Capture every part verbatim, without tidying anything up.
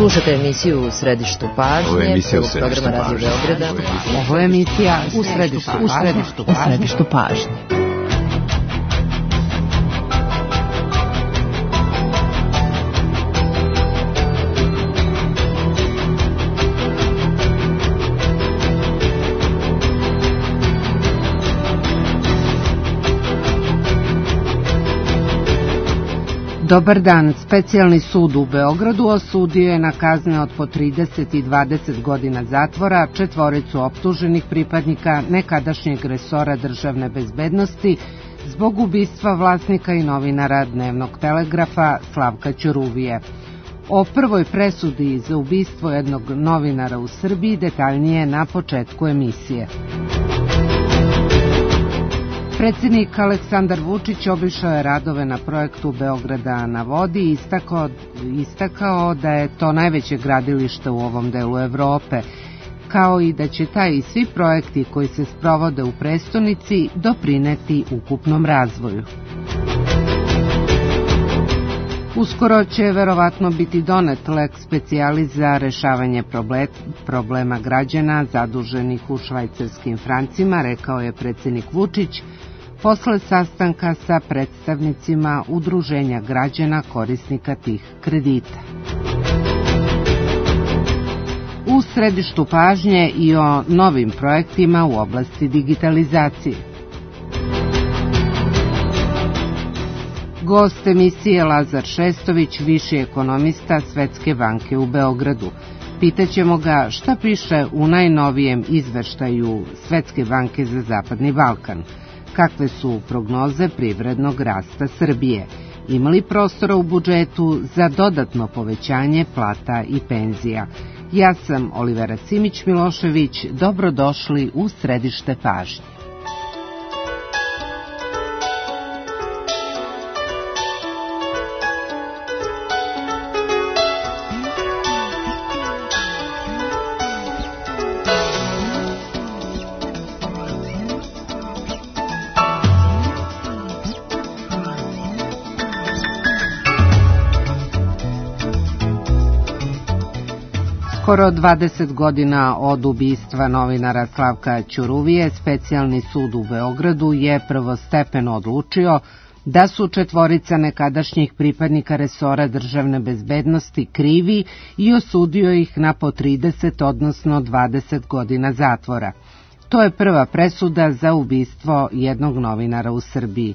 Slušate emisiju U središtu pažnje. Ovo je emisija U središtu programa Radio Beograda. Ovo je emisija U središtu pažnje. U središtu pažnje. Dobar dan. Specijalni sud u Beogradu osudio je na kazne od po trideset i dvadeset godina zatvora četvoricu optuženih pripadnika nekadašnjeg resora državne bezbednosti zbog ubistva vlasnika i novinara Dnevnog telegrafa Slavka Ćuruvije. O prvoj presudi za ubistvo jednog novinara u Srbiji detaljnije na početku emisije. Predsjednik Aleksandar Vučić obišao je radove na projektu Beograda na vodi i istakao, istakao da je to najveće gradilište u ovom delu Evrope, kao i da će taj i svi projekti koji se sprovode u prestonici doprineti ukupnom razvoju. Uskoro će verovatno biti donet lex specialis za rešavanje problema građana zaduženih u švajcarskim francima, rekao je predsjednik Vučić posle sastanka sa predstavnicima udruženja građana korisnika tih kredita. U središtu pažnje i o novim projektima u oblasti digitalizacije. Gost emisije Lazar Šestović, viši ekonomista Svetske banke u Beogradu. Pitaćemo ga šta piše u najnovijem izveštaju Svetske banke za Zapadni Balkan. Kakve su prognoze privrednog rasta Srbije? Ima li prostora u budžetu za dodatno povećanje plata i penzija? Ja sam Olivera Simić-Milošević, dobrodošli u središte pažnje. Skoro dvadeset godina od ubistva novinara Slavka Ćuruvije, Specijalni sud u Beogradu je prvostepeno odlučio da su četvorica nekadašnjih pripadnika resora državne bezbednosti krivi i osudio ih na po trideset, odnosno dvadeset godina zatvora. To je prva presuda za ubistvo jednog novinara u Srbiji.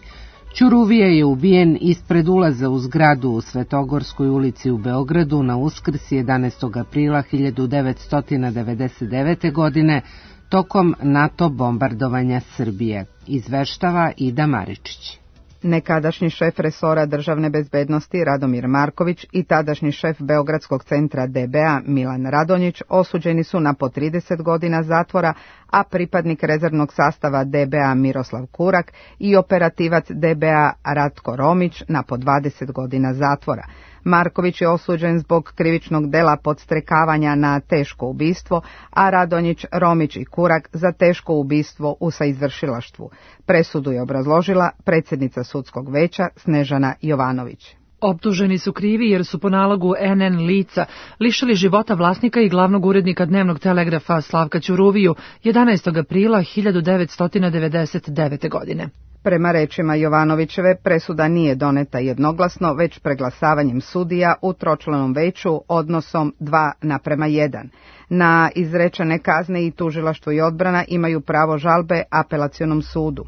Ćuruvija je ubijen ispred ulaza u zgradu u Svetogorskoj ulici u Beogradu na Uskrs jedanaestog aprila hiljadu devetsto devedeset devete. godine tokom NATO bombardovanja Srbije, izveštava Ida Maričić. Nekadašnji šef resora državne bezbednosti Radomir Marković i tadašnji šef Beogradskog centra D B A Milan Radonjić osuđeni su na po trideset godina zatvora, a pripadnik rezervnog sastava D B A Miroslav Kurak i operativac D B A Ratko Romić na po dvadeset godina zatvora. Marković je osuđen zbog krivičnog dela podstrekavanja na teško ubistvo, a Radonjić, Romić i Kurak za teško ubistvo u saizvršilaštvu. Presudu je obrazložila predsjednica sudskog veća Snežana Jovanović. Optuženi su krivi jer su po nalogu N N lica lišili života vlasnika i glavnog urednika Dnevnog telegrafa Slavka Ćuruviju jedanaestog aprila hiljadu devetsto devedeset devete. godine. Prema rečima Jovanovićeve, presuda nije doneta jednoglasno, već preglasavanjem sudija u tročlanom veću odnosom dva naprema jedan. Na izrečene kazne i tužilaštvo i odbrana imaju pravo žalbe apelacionom sudu.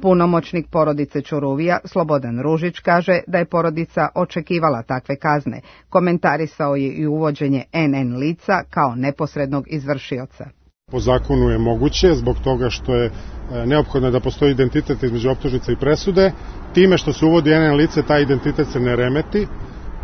Punomoćnik porodice Ćuruvija, Slobodan Ružić, kaže da je porodica očekivala takve kazne. Komentarisao je i uvođenje N N lica kao neposrednog izvršioca. Po zakonu je moguće, zbog toga što je neophodno da postoji identitet između optužnice i presude. Time što se uvodi N N lice, taj identitet se ne remeti.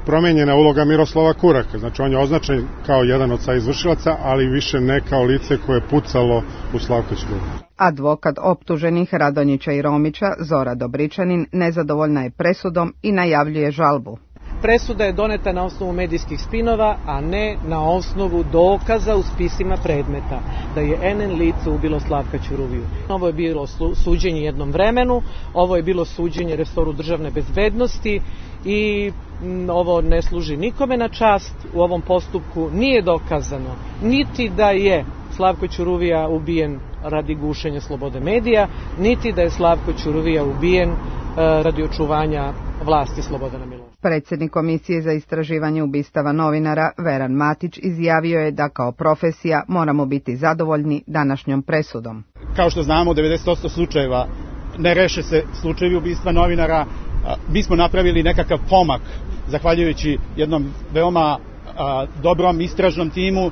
Promenjena uloga Miroslava Kuraka, znači on je označen kao jedan od saizvršilaca, ali više ne kao lice koje je pucalo u Slavka Ćuruviju. Advokat optuženih Radonjića i Romića, Zora Dobričanin, nezadovoljna je presudom i najavljuje žalbu. Presuda je doneta na osnovu medijskih spinova, a ne na osnovu dokaza u spisima predmeta da je en en lice ubilo Slavka Ćuruviju. Ovo je bilo suđenje jednom vremenu, ovo je bilo suđenje resoru državne bezbednosti i ovo ne služi nikome na čast. U ovom postupku nije dokazano niti da je Slavko Ćuruvija ubijen radi gušenja slobode medija, niti da je Slavko Ćuruvija ubijen radi očuvanja vlasti Slobodana Miloševića. Predsjednik Komisije za istraživanje ubistava novinara Veran Matić izjavio je da kao profesija moramo biti zadovoljni današnjom presudom. Kao što znamo, u devedeset posto slučajeva ne reše se slučajevi ubistva novinara. Mi smo napravili nekakav pomak zahvaljujući jednom veoma a, dobrom istražnom timu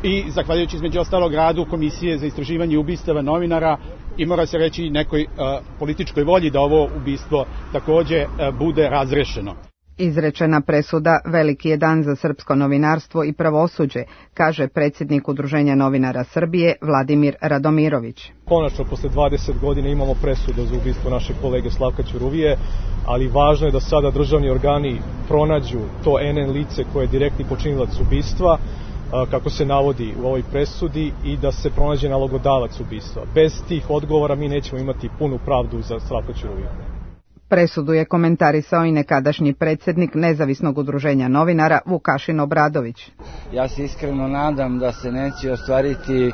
i zahvaljujući između ostalog radu Komisije za istraživanje ubistava novinara i mora se reći nekoj a, političkoj volji da ovo ubistvo takođe a, bude razrešeno. Izrečena presuda veliki je dan za srpsko novinarstvo i pravosuđe, kaže predsjednik Udruženja novinara Srbije Vladimir Radomirović. Konačno, posle dvadeset godina imamo presudu za ubistvo našeg kolege Slavka Ćuruvije, ali važno je da sada državni organi pronađu to en en lice koje je direktni počinilac ubistva, kako se navodi u ovoj presudi, i da se pronađe nalogodavac ubistva. Bez tih odgovora mi nećemo imati punu pravdu za Slavka Ćuruviju. Presudu je komentarisao i nekadašnji predsjednik Nezavisnog udruženja novinara Vukašin Obradović. Ja se iskreno nadam da se neće ostvariti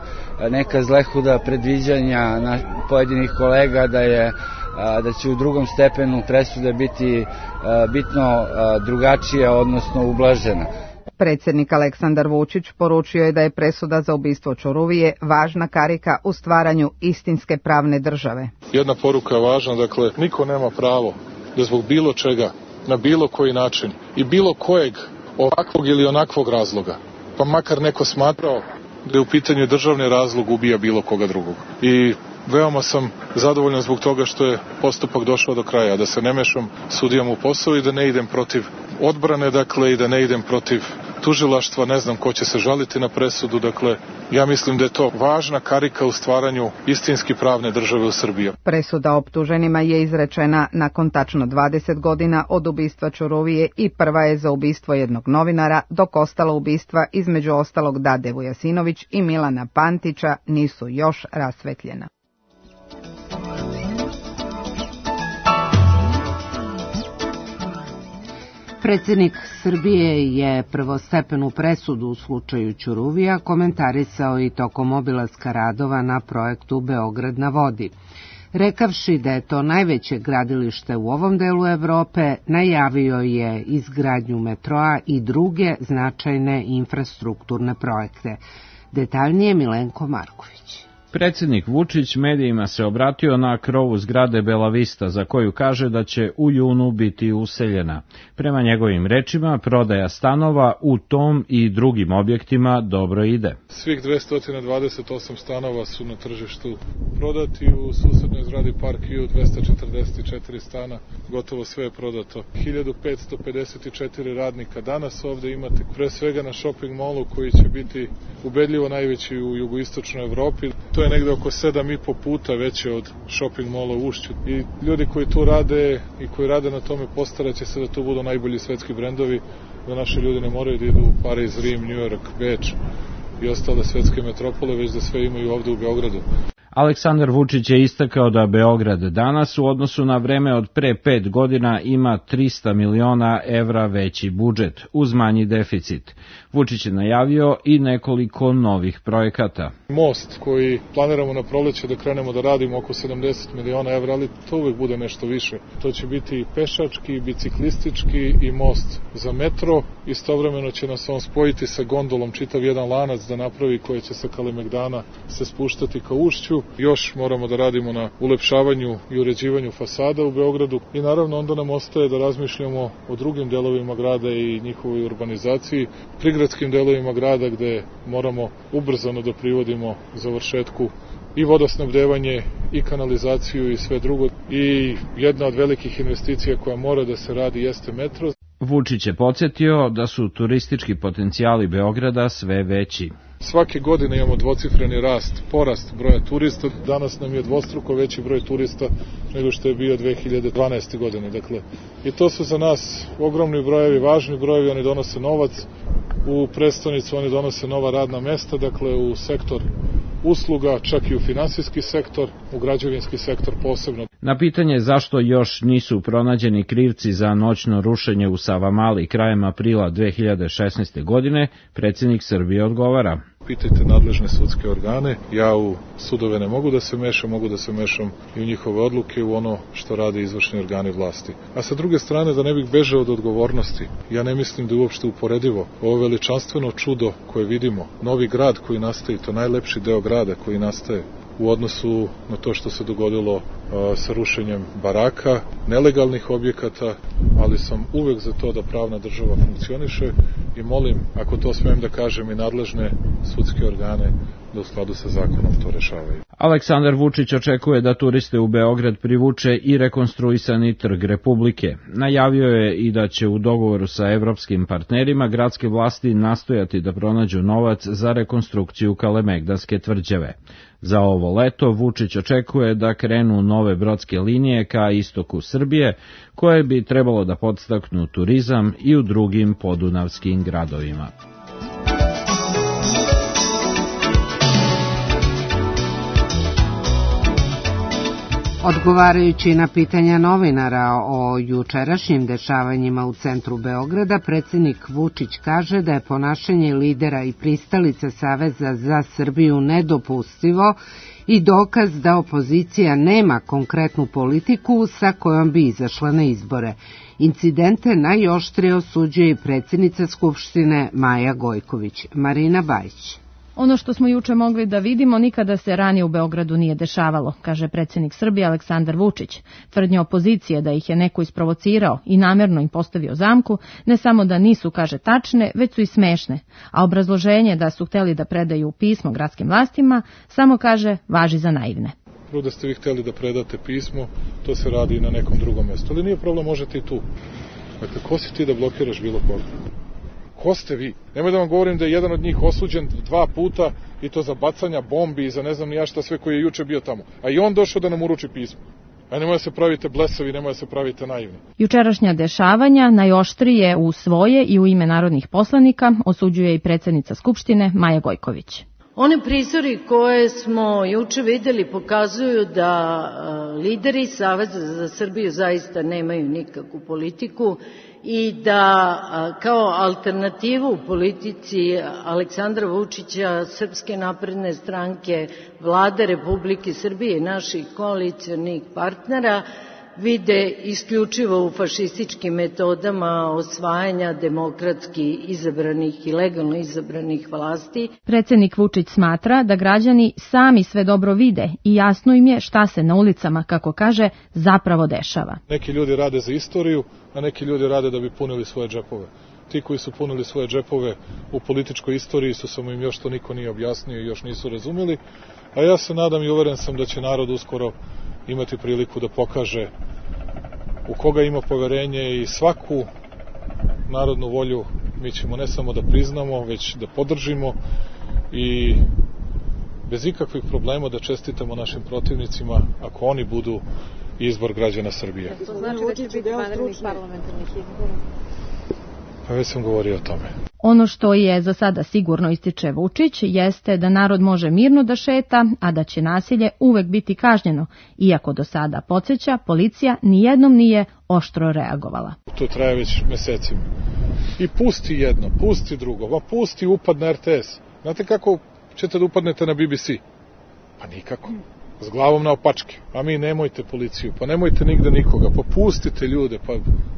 neka zlehuda predviđanja pojedinih kolega da je da će u drugom stepenu presude biti bitno drugačija, odnosno ublažena. Predsjednik Aleksandar Vučić poručio je da je presuda za ubistvo Ćuruvije važna karika u stvaranju istinske pravne države. Jedna poruka je važna, dakle, niko nema pravo da zbog bilo čega, na bilo koji način i bilo kojeg ovakvog ili onakvog razloga, pa makar neko smatrao da je u pitanju državni razlog, ubija bilo koga drugog. I veoma sam zadovoljan zbog toga što je postupak došao do kraja, da se ne mešam sudijama u posao i da ne idem protiv odbrane, dakle, i da ne idem protiv tužilaštva, ne znam ko će se žaliti na presudu, dakle, ja mislim da je to važna karika u stvaranju istinski pravne države u Srbiji. Presuda optuženima je izrečena nakon tačno dvadeset godina od ubistva Ćuruvije i prva je za ubistvo jednog novinara, dok ostala ubistva, između ostalog Dade Vujasinović i Milana Pantića, nisu još rasvetljena. Predsjednik Srbije je prvostepenu presudu u slučaju Ćuruvija komentarisao i tokom obilaska radova na projektu Beograd na vodi. Rekavši da je to najveće gradilište u ovom delu Evrope, najavio je izgradnju metroa i druge značajne infrastrukturne projekte. Detaljnije Milenko Marković. Predsjednik Vučić medijima se obratio na krovu zgrade Bela Vista, za koju kaže da će u junu biti useljena. Prema njegovim rečima, prodaja stanova u tom i drugim objektima dobro ide. Svih dvesta dvadeset osam stanova su na tržištu prodati, u susednoj zgradi Park View dvesta četrdeset četiri stana, gotovo sve je prodato. hiljadu petsto pedeset četiri radnika danas ovde imate, pre svega na shopping mallu koji će biti ubedljivo najveći u jugoistočnoj Evropi. To je negde oko sedam i po puta veće od shopping malla u Ušću. I ljudi koji tu rade i koji rade na tome postaraće se da to budu najbolji svetski brendovi, da naši ljudi ne moraju da idu u Pariz, Rim, New York, Beč i ostale svetske metropole, već da sve imaju ovde u Beogradu. Aleksandar Vučić je istakao da Beograd danas u odnosu na vreme od pre pet godina ima trista miliona evra veći budžet, uz manji deficit. Vučić je najavio i nekoliko novih projekata. Most koji planiramo na proleće da krenemo da radimo oko sedamdeset miliona evra, ali to uvek bude nešto više. To će biti i pešački, i biciklistički, i most za metro. Istovremeno će nas on spojiti sa gondolom, čitav jedan lanac da napravi, koji će sa Kalemegdana se spuštati ka Ušću. Još moramo da radimo na ulepšavanju i uređivanju fasada u Beogradu i naravno onda nam ostaje da razmišljamo o drugim delovima grada i njihovoj urbanizaciji, prigradskim delovima grada gde moramo ubrzano da privodimo završetku i vodosnabdevanje i kanalizaciju i sve drugo. I jedna od velikih investicija koja mora da se radi jeste metro. Vučić je podsjetio da su turistički potencijali Beograda sve veći. Svake godine imamo dvocifreni rast, porast broja turista. Danas nam je dvostruko veći broj turista nego što je bio dve hiljade dvanaeste. godine. Dakle, i to su za nas ogromni brojevi, važni brojevi, oni donose novac u prestonicu, oni donose nova radna mesta, dakle u sektor usluga, čak i u finansijski sektor, u građevinski sektor posebno. Na pitanje zašto još nisu pronađeni krivci za noćno rušenje u Savamali krajem aprila dve hiljade šesnaeste. godine, predsjednik Srbije odgovara. Pitajte nadležne sudske organe, ja u sudove ne mogu da se mešam, mogu da se mešam i u njihove odluke, u ono što rade izvršni organi vlasti. A sa druge strane, da ne bih bežao od odgovornosti, ja ne mislim da je uopšte uporedivo ovo veličanstveno čudo koje vidimo, novi grad koji nastaje, to najlepši deo grada koji nastaje, u odnosu na to što se dogodilo a, sa rušenjem baraka, nelegalnih objekata, ali sam uvek za to da pravna država funkcioniše i molim, ako to smem da kažem, i nadležne sudske organe da u skladu sa zakonom to rešavaju. Aleksandar Vučić očekuje da turiste u Beograd privuče i rekonstruisani Trg Republike. Najavio je i da će u dogovoru sa evropskim partnerima gradske vlasti nastojati da pronađu novac za rekonstrukciju Kalemegdanske tvrđave. Za ovo leto Vučić očekuje da krenu nove brodske linije ka istoku Srbije, koje bi trebalo da podstaknu turizam i u drugim podunavskim gradovima. Odgovarajući na pitanja novinara o jučerašnjim dešavanjima u centru Beograda, predsjednik Vučić kaže da je ponašanje lidera i pristalica Saveza za Srbiju nedopustivo i dokaz da opozicija nema konkretnu politiku sa kojom bi izašla na izbore. Incidente najoštrije osuđuje i predsjednica Skupštine Maja Gojković. Marina Bajić. Ono što smo juče mogli da vidimo nikada se ranije u Beogradu nije dešavalo, kaže predsjednik Srbije Aleksandar Vučić. Tvrdnje opozicije da ih je neko isprovocirao i namjerno im postavio zamku, ne samo da nisu, kaže, tačne, već su i smešne, a obrazloženje da su hteli da predaju pismo gradskim vlastima samo, kaže, važi za naivne. Prvo da ste vi hteli da predate pismo, to se radi i na nekom drugom mjestu, ali nije problem, možete i tu. Dakle, ko si ti da blokiraš bilo koga? Ko ste vi? Nemoj da vam govorim da je jedan od njih osuđen dva puta i to za bacanja bombi i za ne znam ni ja šta sve koji je juče bio tamo. A i on došao da nam uruči pismo. A nemoj da se pravite blesavi, nemoj da se pravite naivni. Jučerašnja dešavanja najoštrije u svoje i u ime narodnih poslanika osuđuje i predsjednica Skupštine Maja Gojković. One prizori koje smo juče videli pokazuju da lideri Saveza za Srbiju zaista nemaju nikakvu politiku i da kao alternativu u politici Aleksandra Vučića, Srpske napredne stranke, Vlade Republike Srbije i naših koalicionih partnera vide isključivo u fašističkim metodama osvajanja demokratski izabranih i legalno izabranih vlasti. Predsjednik Vučić smatra da građani sami sve dobro vide i jasno im je šta se na ulicama, kako kaže, zapravo dešava. Neki ljudi rade za istoriju, a neki ljudi rade da bi punili svoje džepove. Ti koji su punili svoje džepove u političkoj istoriji su, samo im još to niko nije objasnio i još nisu razumeli, a ja se nadam i uveren sam da će narod uskoro imati priliku da pokaže u koga ima poverenje i svaku narodnu volju mi ćemo ne samo da priznamo, već da podržimo i bez ikakvih problema da čestitamo našim protivnicima ako oni budu izbor građana Srbije. To znači da će biti vanrednih parlamentarnih izbora? Pa već sam govorio o tome. Ono što je za sada sigurno, ističe Vučić, jeste da narod može mirno da šeta, a da će nasilje uvek biti kažnjeno, iako do sada, podsjeća, policija nijednom nije oštro reagovala. To traje već mesecima. I pusti jedno, pusti drugo, pa pusti upad na R T S. Znate kako ćete da upadnete na B B C? Pa nikako. S glavom na opačke. A mi nemojte policiju, pa nemojte nigde nikoga, pa pustite ljude, pa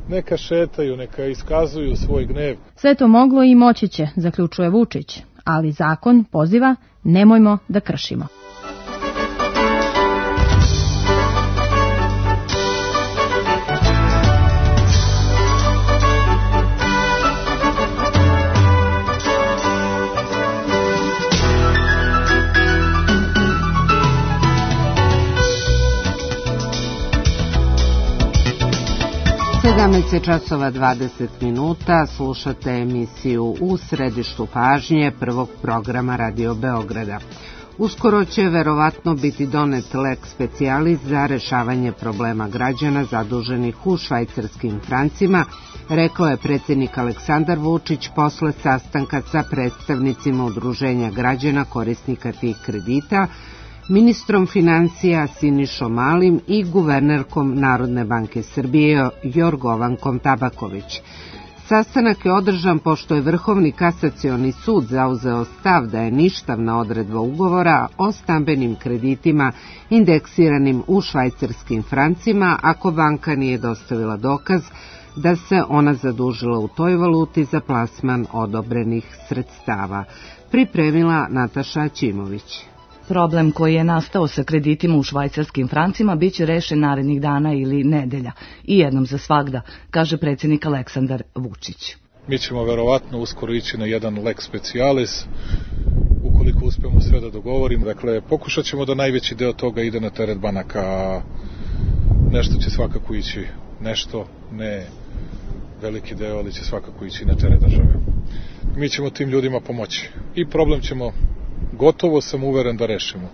neka šetaju, neka iskazuju svoj gnev. Sve to moglo i moći će, zaključuje Vučić, ali zakon poziva nemojmo da kršimo. sedamnaest časova dvadeset minuta, slušate emisiju U središtu pažnje prvog programa Radio Beograda. Uskoro će verovatno biti donet lex specialis za rešavanje problema građana zaduženih u švajcarskim francima, rekao je predsjednik Aleksandar Vučić posle sastanka sa predstavnicima udruženja građana korisnika tih kredita, ministrom financija Sinišom Malim i guvernerkom Narodne banke Srbije Jorgovankom Tabaković. Sastanak je održan pošto je Vrhovni kasacioni sud zauzeo stav da je ništavna odredba ugovora o stambenim kreditima indeksiranim u švajcarskim francima ako banka nije dostavila dokaz da se ona zadužila u toj valuti za plasman odobrenih sredstava. Pripremila Nataša Ćimović. Problem koji je nastao sa kreditima u švajcarskim francima biće rešen narednih dana ili nedelja i jednom za svagda, kaže predsjednik Aleksandar Vučić. Mi ćemo verovatno uskoro ići na jedan lex specialis, ukoliko uspemo sve da dogovorimo. Dakle, pokušat ćemo da najveći deo toga ide na teret banaka, a nešto će svakako ići, nešto, ne veliki deo, ali će svakako ići na teret države. Mi ćemo tim ljudima pomoći i problem ćemo gotovo sam uveren da rešimo.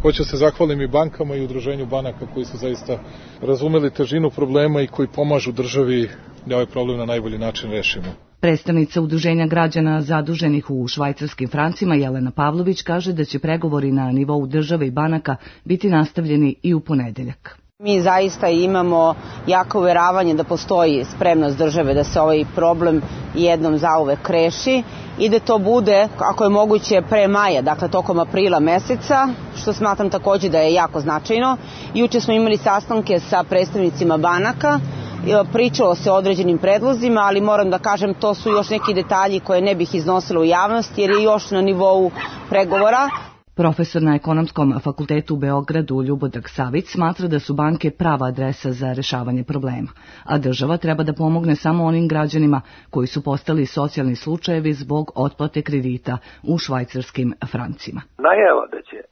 Hoću se zahvalim i bankama i udruženju banaka koji su zaista razumeli težinu problema i koji pomažu državi da ovaj problem na najbolji način rešimo. Predstavnica udruženja građana zaduženih u švajcarskim francima Jelena Pavlović kaže da će pregovori na nivou države i banaka biti nastavljeni i u ponedeljak. Mi zaista imamo jako uveravanje da postoji spremnost države da se ovaj problem jednom zauvek reši i da to bude, ako je moguće, pre maja, dakle tokom aprila meseca, što smatram takođe da je jako značajno. Juče smo imali sastanke sa predstavnicima banaka, pričalo se o određenim predlozima, ali moram da kažem to su još neki detalji koje ne bih iznosila u javnost jer je još na nivou pregovora. Profesor na Ekonomskom fakultetu u Beogradu Ljubodrag Savić smatra da su banke prava adresa za rešavanje problema, a država treba da pomogne samo onim građanima koji su postali socijalni slučajevi zbog otplate kredita u švajcarskim francima. Najava da će uh,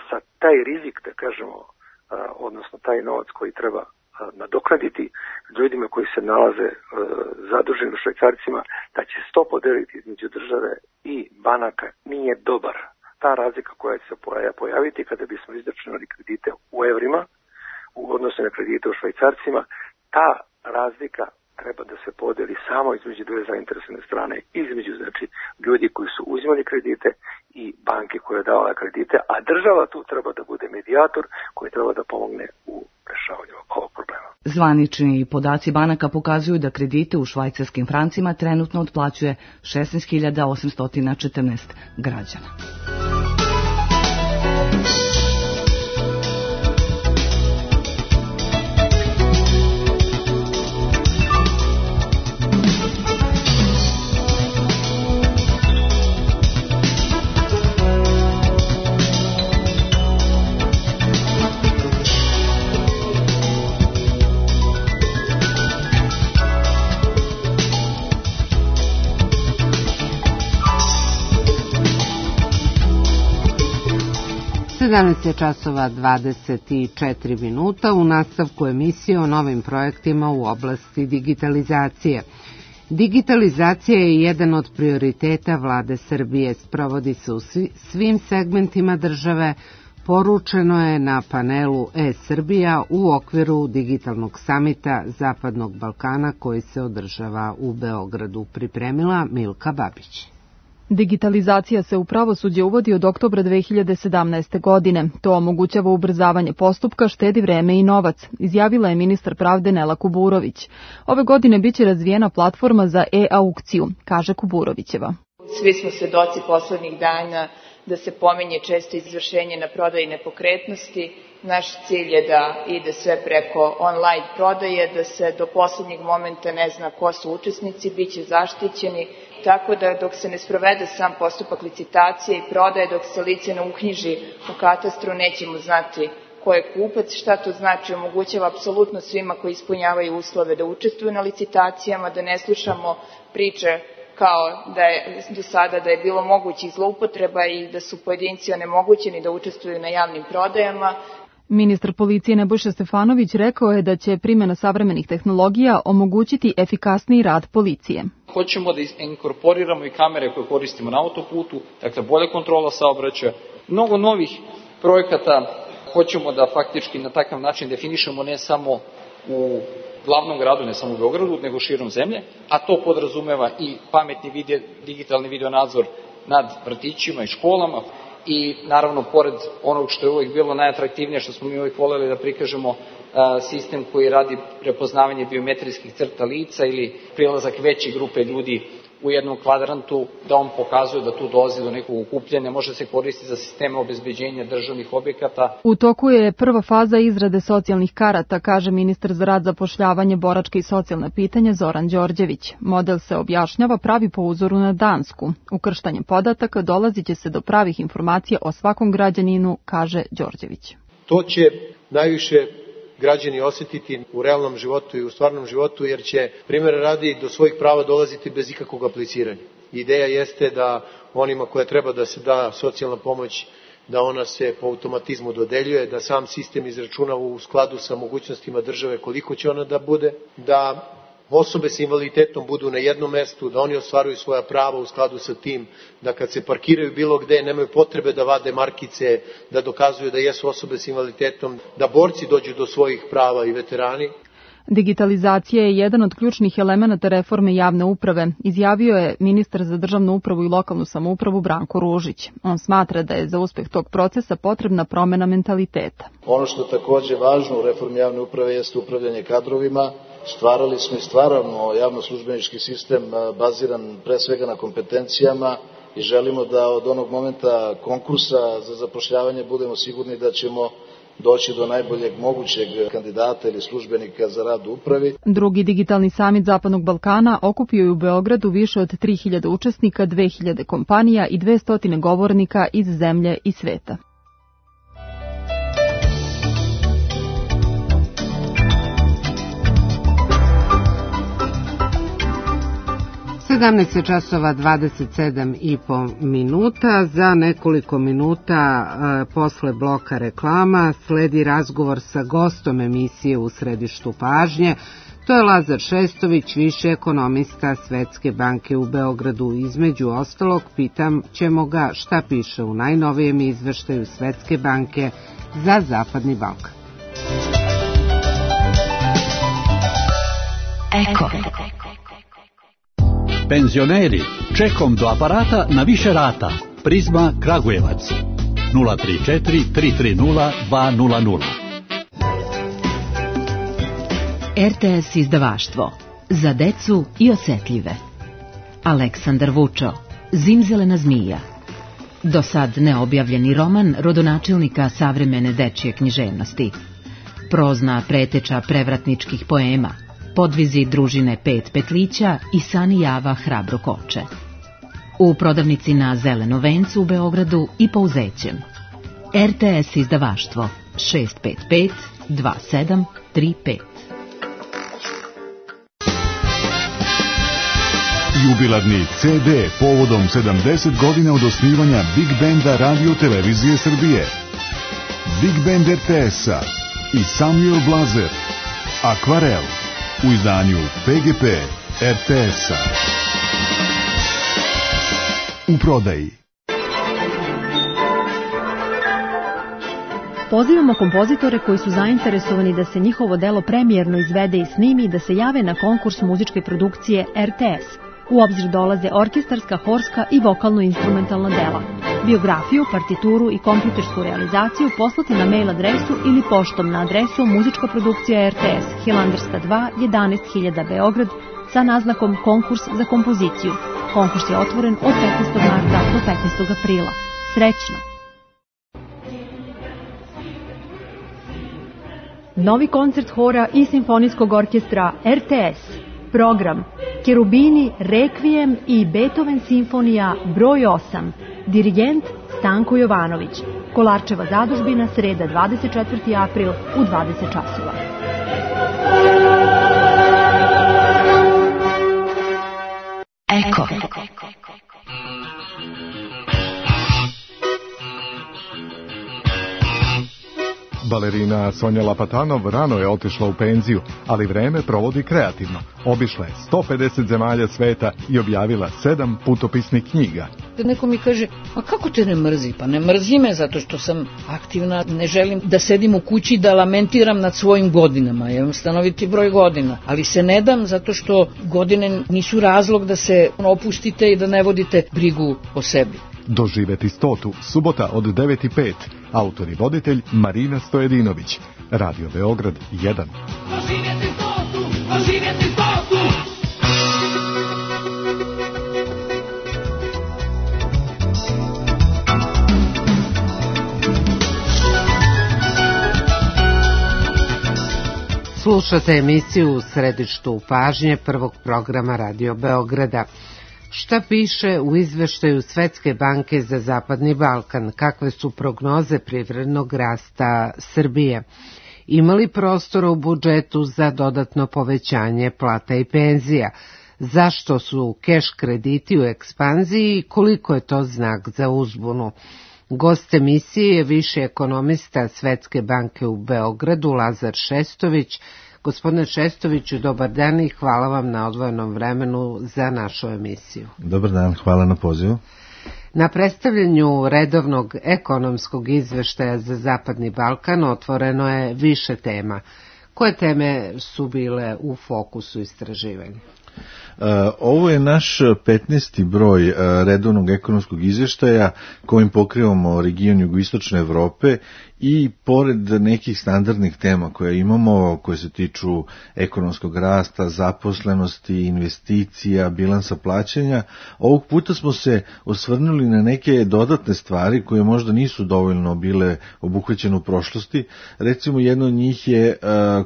sa taj rizik, da kažemo, uh, odnosno taj novac koji treba uh, nadoknaditi ljudima koji se nalaze uh, zaduženi u švajcarcima, da će sto podeliti između države i banaka nije dobar. Ta razlika koja će se pojaviti kada bismo izračunali kredite u evrima u odnosu na kredite u švajcarcima, ta razlika treba da se podeli samo između dve zainteresovane strane, između znači ljudi koji su uzimali kredite i banke koja je davala kredite, a država tu treba da bude medijator koji treba da pomogne u rešavanju ovog problema. Zvanični podaci banaka pokazuju da kredite u švajcarskim francima trenutno otplaćuje šesnaest hiljada osamsto četrnaest građana. sedamnaest časova dvadeset četiri minuta u nastavku emisije o novim projektima u oblasti digitalizacije. Digitalizacija je jedan od prioriteta vlade Srbije, sprovodi se u svim segmentima države, poručeno je na panelu E-Srbija u okviru digitalnog samita Zapadnog Balkana koji se održava u Beogradu, pripremila Milka Babić. Digitalizacija se u pravosuđe uvodi od oktobra dve hiljade sedamnaeste. godine. To omogućava ubrzavanje postupka, štedi vreme i novac, izjavila je ministar pravde Nela Kuburović. Ove godine biće razvijena platforma za e-aukciju, kaže Kuburovićeva. Svi smo svedoci poslednjih dana da se pominje često izvršenje na prodaji nepokretnosti. Naš cilj je da ide sve preko online prodaje, da se do poslednjeg momenta ne zna ko su učesnici, bit će zaštićeni, tako da dok se ne sprovede sam postupak licitacije i prodaje, dok se lice ne uknjiži u katastru, nećemo znati ko je kupac. Šta to znači? Omogućava apsolutno svima koji ispunjavaju uslove da učestvuju na licitacijama, da ne slušamo priče kao da je do sada da je bilo mogućih zloupotreba i da su pojedinci onemogućeni da učestvuju na javnim prodajama. Ministar policije Nebojša Stefanović rekao je da će primjena savremenih tehnologija omogućiti efikasniji rad policije. Hoćemo da inkorporiramo i kamere koje koristimo na autoputu, dakle bolja kontrola saobraćaja, mnogo novih projekata hoćemo da faktički na takav način definišemo ne samo u glavnom gradu, ne samo u Beogradu, nego širom zemlje, a to podrazumeva i pametni video, digitalni video nadzor nad vrtićima i školama i naravno pored onog što je uvijek bilo najatraktivnije, što smo mi uvijek voljeli da prikažemo sistem koji radi prepoznavanje biometrijskih crta lica ili prilazak veće grupe ljudi u jednom kvadrantu, da on pokazuje da tu dolazi do nekog okupljanja, može se koristiti za sisteme obezbeđenja državnih objekata. U toku je prva faza izrade socijalnih karata, kaže ministar za rad, zapošljavanje, boračke i socijalna pitanja Zoran Đorđević. Model se objašnjava pravi po uzoru na Dansku. Ukrštanjem podataka dolazit će se do pravih informacija o svakom građaninu, kaže Đorđević. To će najviše građani osjetiti u realnom životu i u stvarnom životu, jer će, primjera radi, do svojih prava dolaziti bez ikakvog apliciranja. Ideja jeste da onima koje treba da se da socijalna pomoć, da ona se po automatizmu dodeljuje, da sam sistem izračuna u skladu sa mogućnostima države koliko će ona da bude, da osobe sa invaliditetom budu na jednom mestu, da oni ostvaruju svoja prava u skladu sa tim, da kad se parkiraju bilo gde nemaju potrebe da vade markice, da dokazuju da jesu osobe sa invaliditetom, da borci dođu do svojih prava i veterani. Digitalizacija je jedan od ključnih elemenata reforme javne uprave, izjavio je ministar za državnu upravu i lokalnu samoupravu Branko Ružić. On smatra da je za uspeh tog procesa potrebna promena mentaliteta. Ono što je takođe važno u reformi javne uprave jeste upravljanje kadrovima. Stvarali smo i stvaramo javno-službenički sistem baziran pre svega na kompetencijama i želimo da od onog momenta konkursa za zapošljavanje budemo sigurni da ćemo doći do najboljeg mogućeg kandidata ili službenika za rad u upravi. Drugi digitalni samit Zapadnog Balkana okupio je u Beogradu više od tri hiljade učesnika, dve hiljade kompanija i dvesta govornika iz zemlje i sveta. sedamnaest časova dvadeset sedam i po minuta. Za nekoliko minuta e, posle bloka reklama sledi razgovor sa gostom emisije U središtu pažnje. To je Lazar Šestović, viši ekonomista Svetske banke u Beogradu. Između ostalog, pitam ćemo ga šta piše u najnovijem izveštaju Svetske banke za Zapadni Balkan. Eko. Penzioneri, čekom do aparata na više rata. Prizma Kragujevac. nula tri četiri tri tri nula dva nula nula. R T S izdavaštvo. Za decu i osetljive. Aleksandar Vučo. Zimzelena zmija. Do sad neobjavljeni roman rodonačelnika savremene dečje književnosti. Prozna preteča prevratničkih poema. Podvizi družine Pet Petlića i Sani Java Hrabro Koče. U prodavnici na Zeleno vencu u Beogradu i po Uzećem. R T S izdavaštvo šest pet pet dva sedam tri pet. Jubilarni C D povodom sedamdeset godina od osnivanja Big Benda Radio Televizije Srbije. Big Band R T S-a i Samuel Blazer. Akvarel. U izdanju P G P R T S-a. U prodaji. Pozivamo kompozitore koji su zainteresovani da se njihovo delo premijerno izvede i snimi da se jave na konkurs muzičke produkcije R T S. U obzir dolaze orkestarska, horska i vokalno-instrumentalna dela. Biografiju, partituru i kompjutersku realizaciju poslati na mail adresu ili poštom na adresu muzička produkcija R T S, Hilandarska dva, jedanaest hiljada Beograd, sa naznakom konkurs za kompoziciju. Konkurs je otvoren od petnaestog marta do petnaestog aprila. Srećno! Novi koncert hora i simfonijskog orkestra R T S. Program Kerubini, Rekvijem i Beethoven simfonija broj osam. Dirigent Stanko Jovanović. Kolarčeva zadužbina, sreda dvadeset četvrti april u dvadeset časova. Eko. Balerina Balerina Sonja Lapatanov rano je otišla u penziju, ali vreme provodi kreativno. Obišla je sto pedeset zemalja sveta i objavila sedam putopisnih knjiga. Neko mi kaže, a kako te ne mrzi? Pa ne mrzi me zato što sam aktivna, ne želim da sedim u kući da lamentiram nad svojim godinama. Ja imam stanoviti broj godina, ali se ne dam zato što godine nisu razlog da se opustite i da ne vodite brigu o sebi. Doživeti stotu, subota od devet i pet. Autor i voditelj Marina Stojedinović. Radio Beograd jedan. Doživjeti stotu, doživjeti stotu. Slušate emisiju U središtu pažnje prvog programa Radio Beograda. Šta piše u izveštaju Svetske banke za Zapadni Balkan? Kakve su prognoze privrednog rasta Srbije? Ima li prostora u budžetu za dodatno povećanje plata i penzija? Zašto su keš krediti u ekspanziji i koliko je to znak za uzbunu? Gost emisije je viši ekonomista Svetske banke u Beogradu, Lazar Šestović. Gospodine Šestoviću, dobar dan i hvala vam na odvojenom vremenu za našu emisiju. Dobar dan, hvala na pozivu. Na predstavljanju redovnog ekonomskog izveštaja za Zapadni Balkan otvoreno je više tema. Koje teme su bile u fokusu istraživanja? Ovo je naš petnaesti broj redovnog ekonomskog izveštaja kojim pokrivamo region jugoistočne Evrope i pored nekih standardnih tema koje imamo, koje se tiču ekonomskog rasta, zaposlenosti, investicija, bilansa plaćanja, ovog puta smo se osvrnuli na neke dodatne stvari koje možda nisu dovoljno bile obuhvaćene u prošlosti. Recimo, jedno od njih je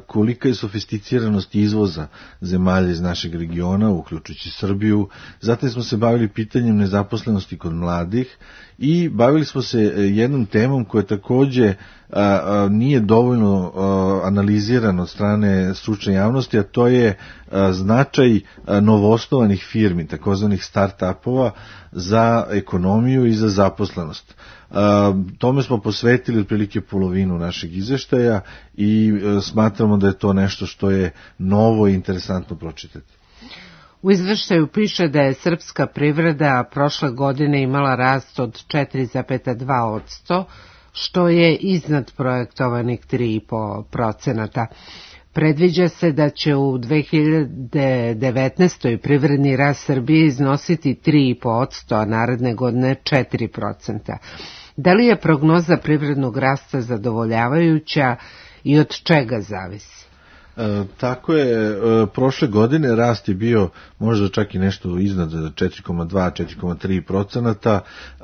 kolika je sofisticiranost izvoza zemalja iz našeg regiona, uključujući Srbiju. Zatim smo se bavili pitanjem nezaposlenosti kod mladih i bavili smo se jednom temom koja takođe a, a, nije dovoljno a, analizirana od strane stručne javnosti, a to je a, značaj a, novoosnovanih firmi, takozvanih start-upova za ekonomiju i za zaposlenost. A, tome smo posvetili otprilike polovinu našeg izveštaja i a, smatramo da je to nešto što je novo i interesantno pročitati. U izveštaju piše da je srpska privreda prošle godine imala rast od četiri zarez dva posto, što je iznad projektovanih tri zarez pet procenata. Predviđa se da će u dve hiljade devetnaestoj. privredni rast Srbije iznositi tri zarez pet posto, a naredne godine četiri procenta. Da li je prognoza privrednog rasta zadovoljavajuća i od čega zavisi? E, tako je, e, prošle godine rast je bio možda čak i nešto iznad četiri zarez dva, četiri zarez tri procenata. E,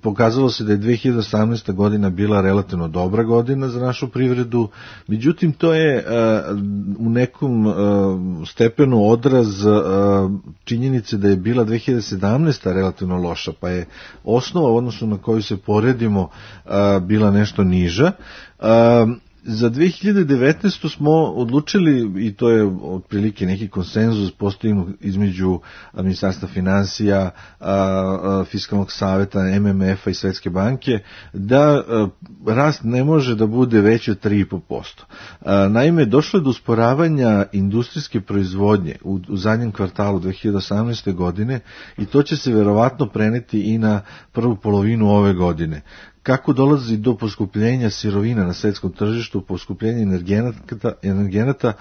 pokazalo se da je dve hiljade osamnaesta. godina bila relativno dobra godina za našu privredu, međutim to je e, u nekom e, stepenu odraz e, činjenice da je bila dve hiljade sedamnaesta. relativno loša, pa je osnova u odnosu na koju se poredimo e, bila nešto niža. E, Za dve hiljade devetnaestu. smo odlučili, i to je otprilike neki konsenzus postignut između Ministarstva finansija, Fiskalnog saveta, M M F-a i Svetske banke, da rast ne može da bude veći od tri zarez pet posto. Naime, došlo je do usporavanja industrijske proizvodnje u, u zadnjem kvartalu dve hiljade osamnaeste. godine i to će se verovatno preneti i na prvu polovinu ove godine. Kako dolazi do poskupljenja sirovina na svetskom tržištu, poskupljenja energenata, energenata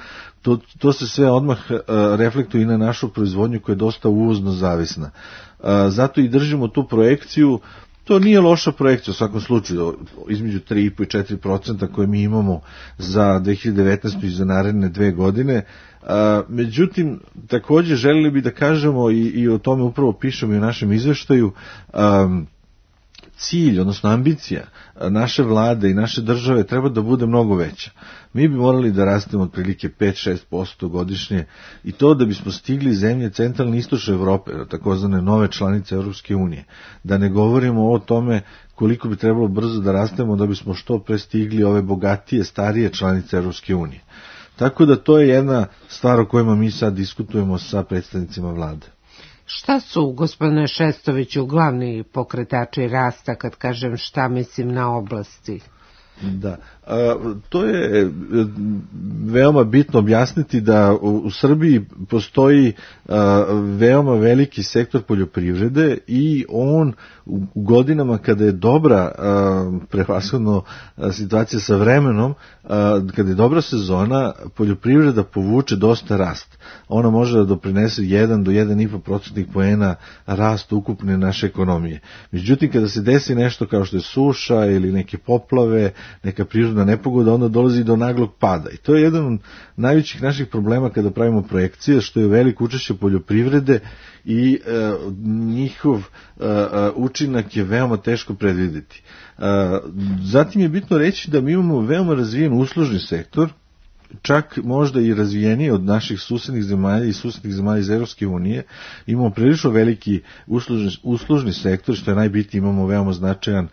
to, to se sve odmah uh, reflektuje i na našu proizvodnju koja je dosta uvozno zavisna. Uh, zato i držimo tu projekciju. To nije loša projekcija u svakom slučaju, između tri zarez pet i četiri procenta koje mi imamo za dve hiljade devetnaestu. i za naredne dve godine. A, međutim, takođe želeli bi da kažemo i, i o tome upravo pišemo i u našem izveštaju, a, cilj, odnosno ambicija naše vlade i naše države treba da bude mnogo veća. Mi bi morali da rastemo otprilike pet do šest posto godišnje i to da bismo stigli zemlje centralne i istočne Evrope, takozvane nove članice Evropske unije. Da ne govorimo o tome koliko bi trebalo brzo da rastemo da bismo što pre stigli ove bogatije, starije članice Evropske unije. Tako da to je jedna stvar o kojima mi sad diskutujemo sa predstavnicima vlade. Šta su, gospodine Šestoviću, glavni pokretači rasta, kad kažem šta mislim na oblasti? Da, a, to je veoma bitno objasniti da u, u Srbiji postoji a, veoma veliki sektor poljoprivrede i on u, u godinama kada je dobra a, prevashodno a, situacija sa vremenom, a, kada je dobra sezona, poljoprivreda povuče dosta rast. Ona može da doprinese jedan do jedan i po procentnih poena rast ukupne naše ekonomije. Međutim, kada se desi nešto kao što je suša ili neke poplave, neka prirodna nepogoda, onda dolazi do naglog pada. I to je jedan od najvećih naših problema kada pravimo projekcije, što je veliko učešće poljoprivrede i e, njihov e, učinak je veoma teško predvideti. E, zatim je bitno reći da mi imamo veoma razvijen uslužni sektor, čak možda i razvijeniji od naših susednih zemalja i susednih zemalja iz Evropske unije. Imamo prilično veliki uslužni, uslužni sektor, što je najbitnije, imamo veoma značajan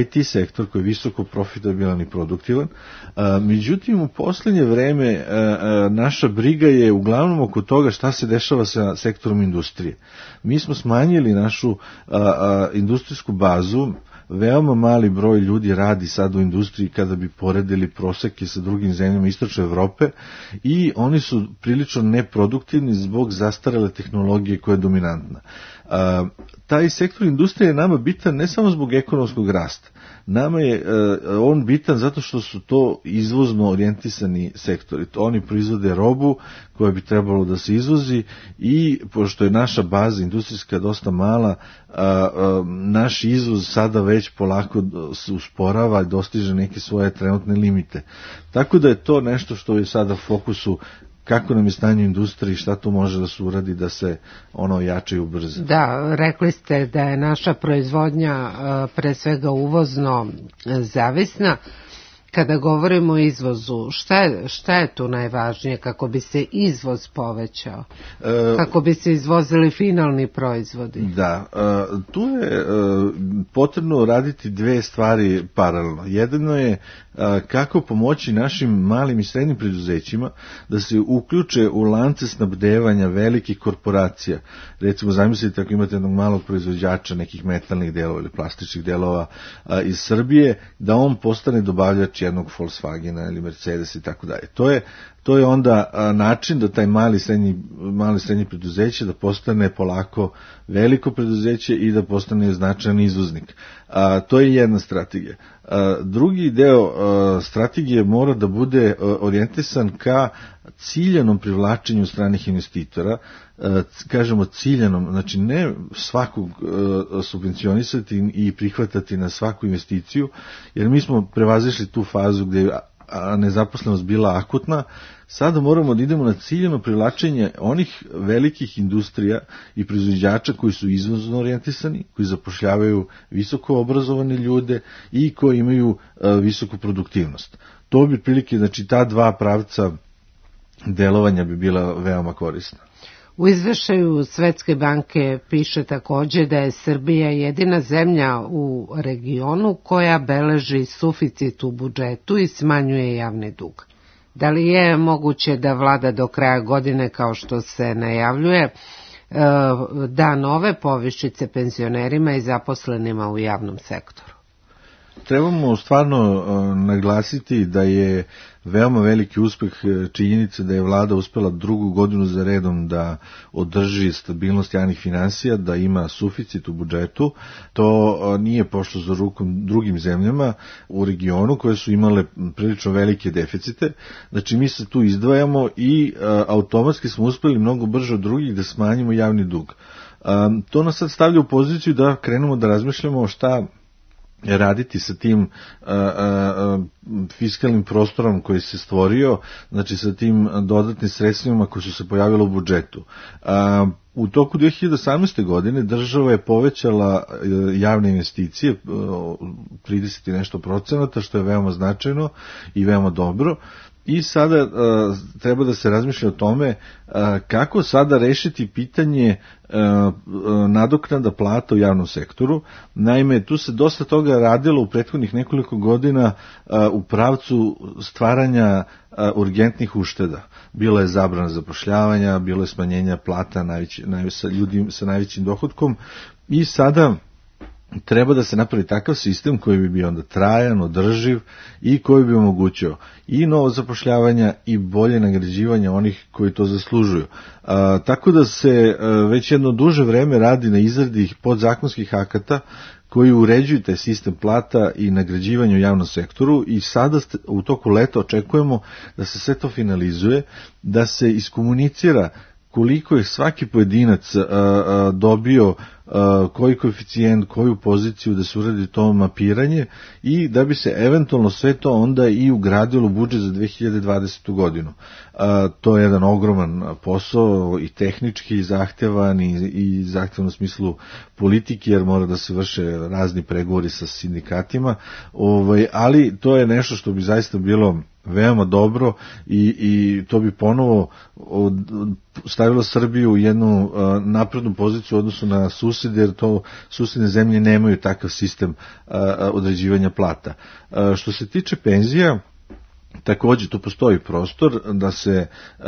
I T sektor koji je visoko profitabilan i produktivan. A, međutim, u poslednje vreme a, a, naša briga je uglavnom oko toga šta se dešava sa sektorom industrije. Mi smo smanjili našu a, a, industrijsku bazu. Veoma mali broj ljudi radi sad u industriji kada bi poredili proseke sa drugim zemljama istočne Evrope i oni su prilično neproduktivni zbog zastarele tehnologije koja je dominantna. A, taj sektor industrije je nama bitan ne samo zbog ekonomskog rasta. Nama je uh, on bitan zato što su to izvozno orijentisani sektori. Oni proizvode robu koja bi trebalo da se izvozi i pošto je naša baza industrijska dosta mala, uh, uh, naš izvoz sada već polako se usporava i dostiže neke svoje trenutne limite. Tako da je to nešto što je sada u fokusu kako nam je stanje u industriji, šta to može da se uradi da se ono jače i ubrza. Da, rekli ste da je naša proizvodnja pre svega uvozno zavisna. Kada govorimo o izvozu, šta je, šta je tu najvažnije kako bi se izvoz povećao? E, kako bi se izvozili finalni proizvodi? Da, e, tu je e, potrebno raditi dve stvari paralelno. Jedno je e, kako pomoći našim malim i srednjim preduzećima da se uključe u lance snabdevanja velikih korporacija. Recimo, zamislite ako imate jednog malog proizvođača nekih metalnih delova ili plastičnih delova a, iz Srbije, da on postane dobavljač jednog Volkswagena ili Mercedes i tako dalje. To je to je onda a, način da taj mali srednji mali srednji preduzeće da postane polako veliko preduzeće i da postane značajan izvoznik. A, to je jedna strategija. A, drugi deo a, strategije mora da bude a, orijentisan ka ciljanom privlačenju stranih investitora, a, kažemo ciljanom, znači ne svakog a, subvencionisati i prihvatati na svaku investiciju, jer mi smo prevazišli tu fazu gde a nezaposlenost bila akutna. Sada moramo da idemo na ciljano privlačenje onih velikih industrija i proizvođača koji su izvozno orijentisani, koji zapošljavaju visoko obrazovane ljude i koji imaju a, visoku produktivnost. To bi prilike, znači ta dva pravca delovanja bi bila veoma korisna. U izvešaju Svetske banke piše takođe da je Srbija jedina zemlja u regionu koja beleži suficit u budžetu i smanjuje javni dug. Da li je moguće da vlada do kraja godine, kao što se najavljuje, da nove povišice penzionerima i zaposlenima u javnom sektoru? Trebamo stvarno naglasiti da je veoma veliki uspeh činjenice da je vlada uspela drugu godinu za redom da održi stabilnost javnih finansija, da ima suficit u budžetu. To nije pošlo za rukom drugim zemljama u regionu koje su imale prilično velike deficite. Znači mi se tu izdvajamo i automatski smo uspeli mnogo brže od drugih da smanjimo javni dug. To nas sad stavlja u poziciju da krenemo da razmišljamo šta raditi sa tim a, a, fiskalnim prostorom koji se stvorio, znači sa tim dodatnim sredstvima koji su se pojavili u budžetu. A, u toku dve hiljade osamnaeste. godine država je povećala javne investicije trideset i nešto procenata, što je veoma značajno i veoma dobro. I sada a, treba da se razmišlja o tome a, kako sada rešiti pitanje a, a, nadoknada plata u javnom sektoru. Naime, tu se dosta toga radilo u prethodnih nekoliko godina a, u pravcu stvaranja a, urgentnih ušteda. Bilo je zabrana zapošljavanja, bilo je smanjenja plata najveći, najveći, sa ljudi sa najvećim dohodkom i sada treba da se napravi takav sistem koji bi bio onda trajan, održiv i koji bi omogućio i novo zapošljavanja i bolje nagrađivanje onih koji to zaslužuju. A, tako da se a, već jedno duže vreme radi na izradi podzakonskih akata koji uređuju taj sistem plata i nagrađivanja u javnom sektoru i sada u toku leta očekujemo da se sve to finalizuje, da se iskomunicira koliko je svaki pojedinac a, a, dobio a, koji koeficijent, koju poziciju, da se uradi to mapiranje i da bi se eventualno sve to onda i ugradilo u budžet za dve hiljade dvadesetu godinu. A, to je jedan ogroman posao i tehnički zahtevan i, i zahtevan u smislu politike, jer mora da se vrše razni pregovori sa sindikatima, ovaj, ali to je nešto što bi zaista bilo veoma dobro i, i to bi ponovo od, stavilo Srbiju u jednu a, naprednu poziciju u odnosu na susede, jer to susedne zemlje nemaju takav sistem a, određivanja plata. A, što se tiče penzija, takođe tu postoji prostor da se uh,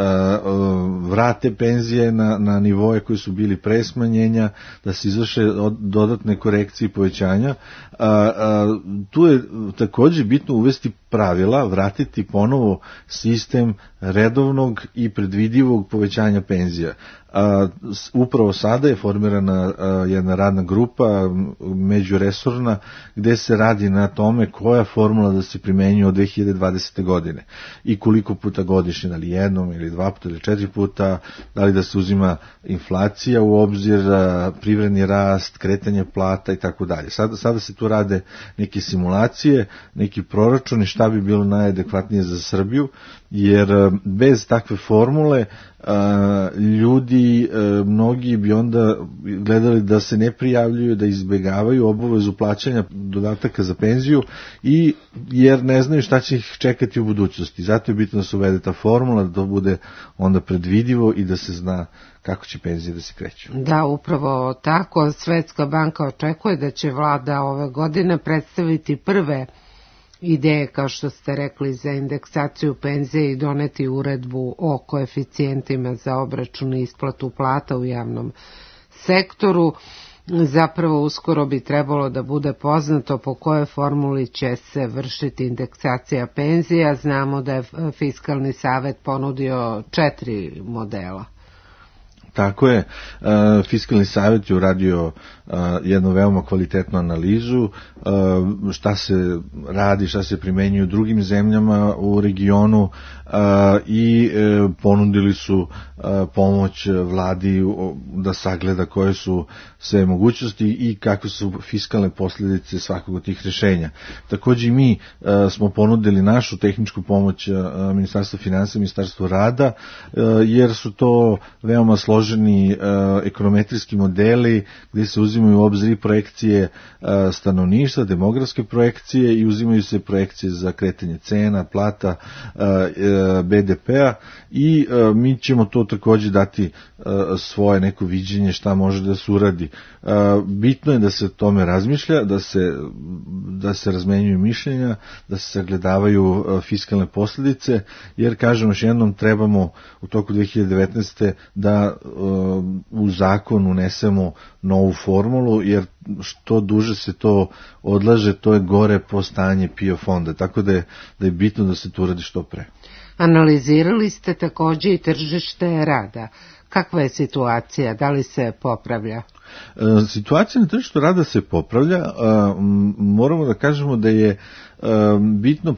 vrate penzije na, na nivoje koji su bili pre smanjenja, da se izvrše dodatne korekcije i povećanja. Uh, uh, tu je takođe bitno uvesti pravila, vratiti ponovo sistem redovnog i predvidivog povećanja penzija. A, upravo sada je formirana a, jedna radna grupa međuresorna gde se radi na tome koja formula da se primenjuje od dve hiljade dvadesete godine i koliko puta godišnje, da li jednom ili dva puta ili četiri puta, da li da se uzima inflacija u obzir, a, privredni rast, kretanje plata i tako dalje. Sada, sada se tu rade neke simulacije, neki proračuni šta bi bilo najadekvatnije za Srbiju, jer bez takve formule a, ljudi, a, mnogi bi onda gledali da se ne prijavljuju, da izbegavaju obavezu plaćanja dodataka za penziju i jer ne znaju šta će ih čekati u budućnosti. Zato je bitno da se uvede ta formula, da to bude onda predvidivo i da se zna kako će penzije da se kreću. Da, upravo tako. Svetska banka očekuje da će vlada ove godine predstaviti prve ideje, kao što ste rekli, za indeksaciju penzije i doneti uredbu o koeficijentima za obračun i isplatu plata u javnom sektoru. Zapravo uskoro bi trebalo da bude poznato po kojoj formuli će se vršiti indeksacija penzija. Znamo da je Fiskalni savet ponudio četiri modela. Tako je, Fiskalni savjet je uradio jednu veoma kvalitetnu analizu šta se radi, šta se primenjuje u drugim zemljama u regionu i ponudili su pomoć vladi da sagleda koje su sve mogućnosti i kakve su fiskalne posljedice svakog od tih rješenja. Također i mi smo ponudili našu tehničku pomoć Ministarstva finansija, Ministarstva rada, jer su to veoma složeni ekonometrijski modeli gdje se uzimaju u obzir i projekcije stanovništva, demografske projekcije i uzimaju se projekcije za kretanje cena, plata, be de pea i mi ćemo to također dati svoje neko viđenje šta može da se uradi. Bitno je da se tome razmišlja, da se, da se razmenjuju mišljenja, da se sagledavaju fiskalne posljedice, jer kažemo još jednom trebamo u toku dve hiljade devetnaeste da u zakon unesemo novu formulu, jer što duže se to odlaže, to je gore po stanje P I O fonda, tako da je, da je bitno da se to uradi što pre. Analizirali ste također i tržište rada. Kakva je situacija? Da li se popravlja? Situacija na tržištu rada se popravlja. Moramo da kažemo da je bitno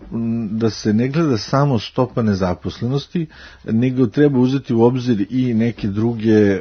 da se ne gleda samo stopa nezaposlenosti, nego treba uzeti u obzir i neke druge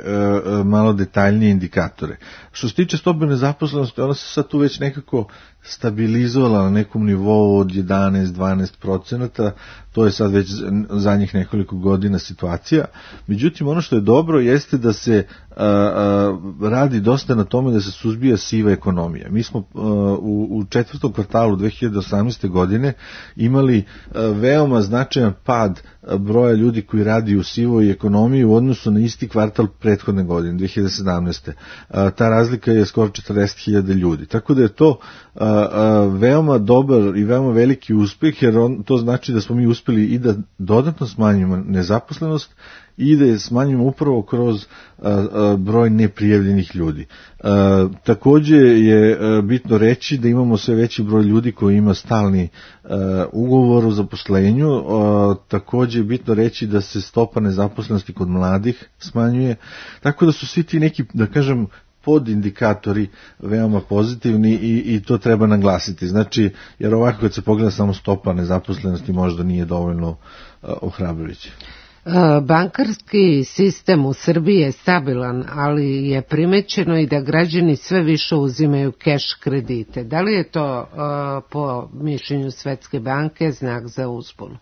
malo detaljnije indikatore. Što se tiče stope nezaposlenosti, ona se sad tu već nekako stabilizovala na nekom nivou od jedanaest do dvanaest procenata, to je sad već zadnjih nekoliko godina situacija. Međutim, ono što je dobro jeste da se a, a, radi dosta na tome da se suzbija siva ekonomija. Mi smo a, u, u četvrtom kvartalu dve hiljade osamnaeste godine imali a, veoma značajan pad broja ljudi koji radi u sivoj ekonomiji u odnosu na isti kvartal prethodne godine, dve hiljade sedamnaeste. A, ta razlika je skoro četrdeset hiljada ljudi. Tako da je to a, a, veoma dobar i veoma veliki uspeh, jer on, to znači da smo mi uspeli i da dodatno smanjimo nezaposlenost i da je smanjimo upravo kroz a, a, broj neprijavljenih ljudi. A, takođe je a, bitno reći da imamo sve veći broj ljudi koji ima stalni a, ugovor o zaposlenju. A, takođe je bitno reći da se stopa nezaposlenosti kod mladih smanjuje, tako da su svi ti neki, da kažem, podindikatori veoma pozitivni i, i to treba naglasiti. Znači, jer ovako kad se pogleda samo stopa nezaposlenosti možda nije dovoljno uh, ohrabrujuće. Bankarski sistem u Srbiji je stabilan, ali je primećeno i da građani sve više uzimaju keš kredite. Da li je to uh, po mišljenju Svetske banke znak za uspon?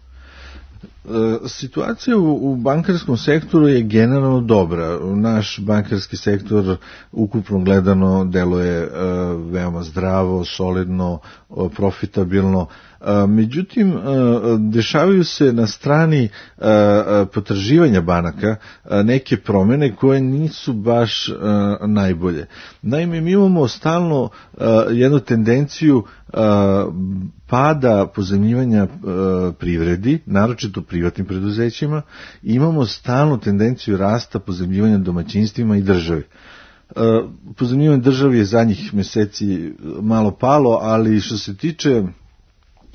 Situacija u, u bankarskom sektoru je generalno dobra. Naš bankarski sektor ukupno gledano deluje uh, veoma zdravo, solidno, uh, profitabilno. Uh, međutim, uh, dešavaju se na strani uh, potraživanja banaka uh, neke promene koje nisu baš uh, najbolje. Naime, mi imamo stalno uh, jednu tendenciju uh, pada pozajmljivanja uh, privredi, naročito privatnim preduzećima, imamo stalnu tendenciju rasta pozajmljivanja domaćinstvima i državi. Uh, pozajmljivanje državi je zadnjih meseci malo palo, ali što se tiče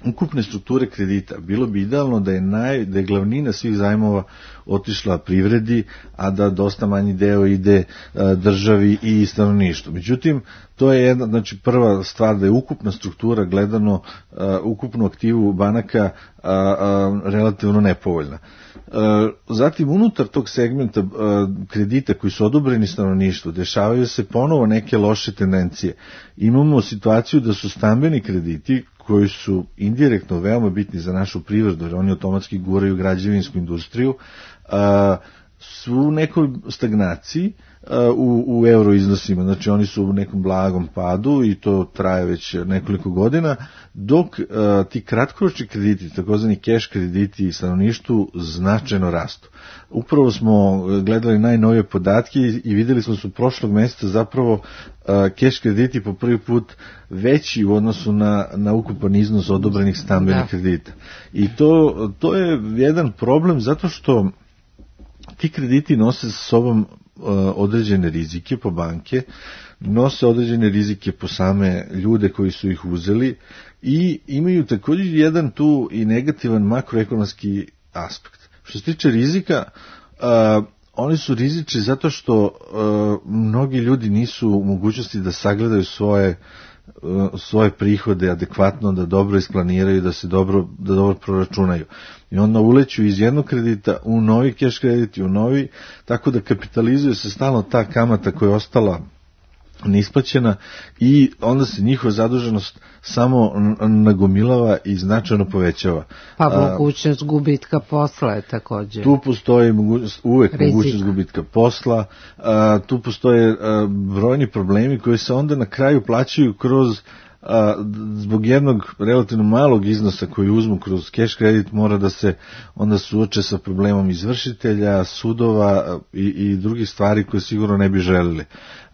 ukupne strukture kredita, bilo bi idealno da je, naj, da je glavnina svih zajmova otišla privredi, a da dosta manji deo ide a, državi i stanovništvu. Međutim, to je jedna, znači prva stvar da je ukupna struktura gledano, a, ukupnu aktivu banaka a, a, relativno nepovoljna. A, zatim, unutar tog segmenta a, kredita koji su odobreni stanovništvu, dešavaju se ponovo neke loše tendencije. Imamo situaciju da su stambeni krediti koji su indirektno veoma bitni za našu privredu, jer oni automatski guraju građevinsku industriju, a, su u nekoj stagnaciji a, u, u euro iznosima, znači oni su u nekom blagom padu i to traje već nekoliko godina, dok a, ti kratkoročni krediti, takozvani cash krediti stanovništvu značajno rastu. Upravo smo gledali najnovije podatke i videli smo su prošlog meseca zapravo cash krediti po prvi put veći u odnosu na, na ukupan iznos odobrenih stambenih da. kredita. I to, to je jedan problem zato što ti krediti nose sa sobom uh, određene rizike po banke, nose određene rizike po same ljude koji su ih uzeli i imaju također jedan tu i negativan makroekonomski aspekt. Što se tiče rizika, uh, oni su rizični zato što uh, mnogi ljudi nisu u mogućnosti da sagledaju svoje uh, svoje prihode adekvatno, da dobro isplaniraju, da se dobro, da dobro proračunaju. I onda uleću iz jednog kredita u novi cash kredit, u novi, tako da kapitalizuje se stalno ta kamata koja je ostala neisplaćena i onda se njihova zaduženost samo nagomilava i značajno povećava. Pa mogućnost gubitka posla je također. Tu postoji mogućnost, uvek Rizik. mogućnost gubitka posla, a, tu postoje a, brojni problemi koji se onda na kraju plaćaju kroz a, zbog jednog relativno malog iznosa koji uzmu kroz cash kredit mora da se onda suoče sa problemom izvršitelja, sudova i, i drugih stvari koje sigurno ne bi želili.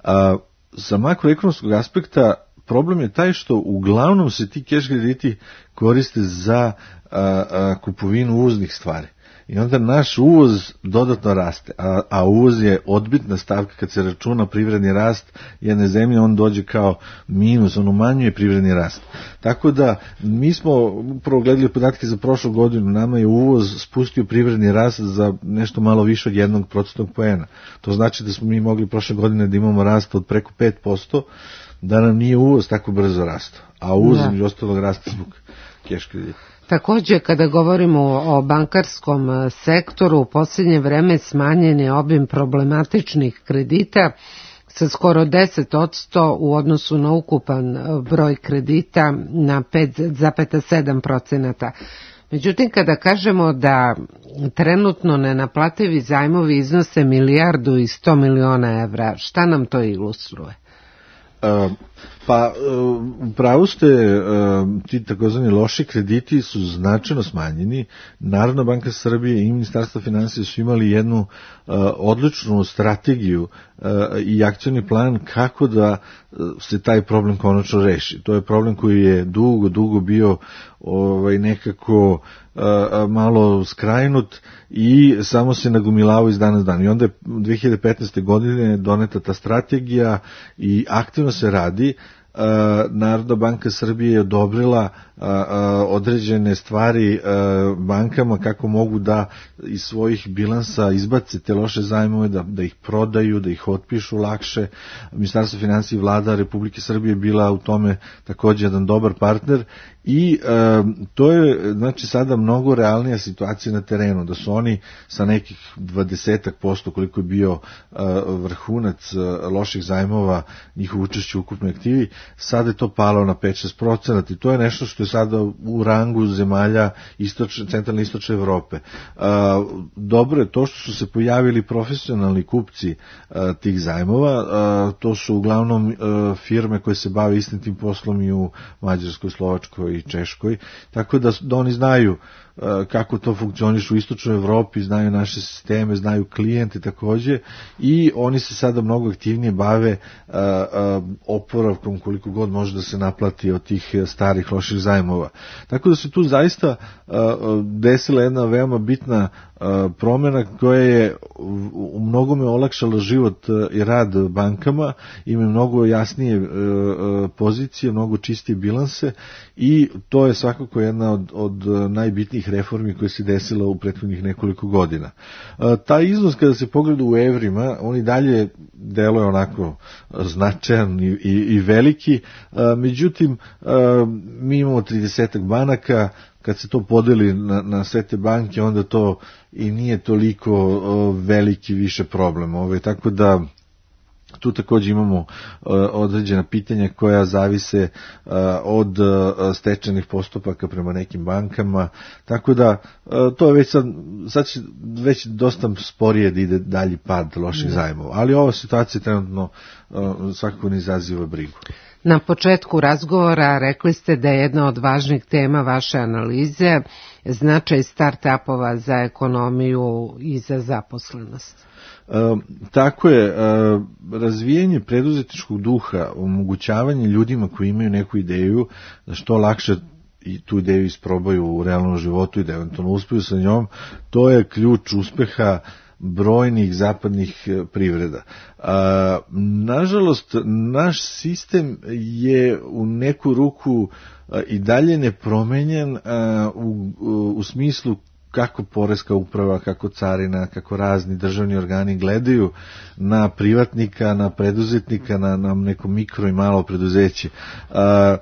A, sa makroekonomskog aspekta problem je taj što uglavnom se ti cash krediti koriste za a, a, kupovinu uvoznih stvari. I onda naš uvoz dodatno raste, a, a uvoz je odbitna stavka kad se računa privredni rast jedne zemlje, on dođe kao minus, on umanjuje privredni rast. Tako da mi smo upravo gledali podatke za prošlu godinu, nama je uvoz spustio privredni rast za nešto malo više od jednog procentnog poena. To znači da smo mi mogli prošle godine da imamo rast od preko pet posto, da nam nije uvoz tako brzo rastao, a uvoz među ostalog raste zbog cash kredita. Također, kada govorimo o bankarskom sektoru, u posljednje vreme smanjen je obim problematičnih kredita sa skoro deset posto u odnosu na ukupan broj kredita na pet zarez sedam procenata. Međutim, kada kažemo da trenutno nenaplativi zajmovi iznose milijardu i sto miliona evra, šta nam to ilustruje? Uh, Pa, u pravu ste, ti takozvani loši krediti su značajno smanjeni. Narodna banka Srbije i Ministarstvo finansija su imali jednu odličnu strategiju i akcioni plan kako da se taj problem konačno reši. To je problem koji je dugo, dugo bio ovaj, nekako malo skrajnut i samo se nagumilavao iz dana u dan. I onda je dve hiljade petnaeste. godine doneta ta strategija i aktivno se radi. Narodna banka Srbije je odobrila određene stvari bankama kako mogu da iz svojih bilansa izbace te loše zajmove, da, da ih prodaju, da ih otpišu lakše. Ministarstvo finansija i vlada Republike Srbije je bila u tome također jedan dobar partner i e, to je znači sada mnogo realnija situacija na terenu, da su oni sa nekih dvadesetak posto koliko je bio e, vrhunac e, loših zajmova, njihovo učešće u ukupnoj aktivi, sada je to palo na pet do šest procenata i to je nešto što je sada u rangu zemalja istočne, centralne i istočne Evrope. E, dobro je to što su se pojavili profesionalni kupci e, tih zajmova, e, to su uglavnom e, firme koje se bave istim tim poslom i u Mađarskoj, Slovačkoj i Češkoj, tako da, da oni znaju kako to funkcioniše u istočnoj Evropi, znaju naše sisteme, znaju klijente takođe i oni se sada mnogo aktivnije bave uh, uh, oporavkom koliko god može da se naplati od tih starih loših zajmova. Tako da se tu zaista uh, desila jedna veoma bitna uh, promjena koja je u mnogome olakšala život uh, i rad bankama, imaju mnogo jasnije uh, uh, pozicije, mnogo čistije bilanse i to je svakako jedna od, od najbitnijih reformi koje se desila u prethodnih nekoliko godina. E, taj iznos kada se pogleda u evrima, on i dalje deluje onako značajan i, i, i veliki, e, međutim e, mi imamo tridesetak banaka, kad se to podeli na, na sve te banke, onda to i nije toliko o, veliki više problem. Ove, tako da tu također imamo uh, određena pitanja koja zavise uh, od uh, stečajnih postupaka prema nekim bankama, tako da uh, to je već sad, sad će već dosta sporije da ide dalji pad loših zajmova, ali ova situacija trenutno uh, svakako ne izaziva brigu. Na početku razgovora rekli ste da je jedna od važnih tema vaše analize značaj start-upova za ekonomiju i za zaposlenost. E, tako je, e, razvijanje preduzetničkog duha, omogućavanje ljudima koji imaju neku ideju da što lakše i tu ideju isprobaju u realnom životu i da eventualno uspiju sa njom, to je ključ uspeha brojnih zapadnih privreda. A, nažalost, naš sistem je u neku ruku a, i dalje nepromenjen a, u, u, u smislu kako poreska uprava, kako carina, kako razni državni organi gledaju na privatnika, na preduzetnika, na, na neko mikro i malo preduzeće. A,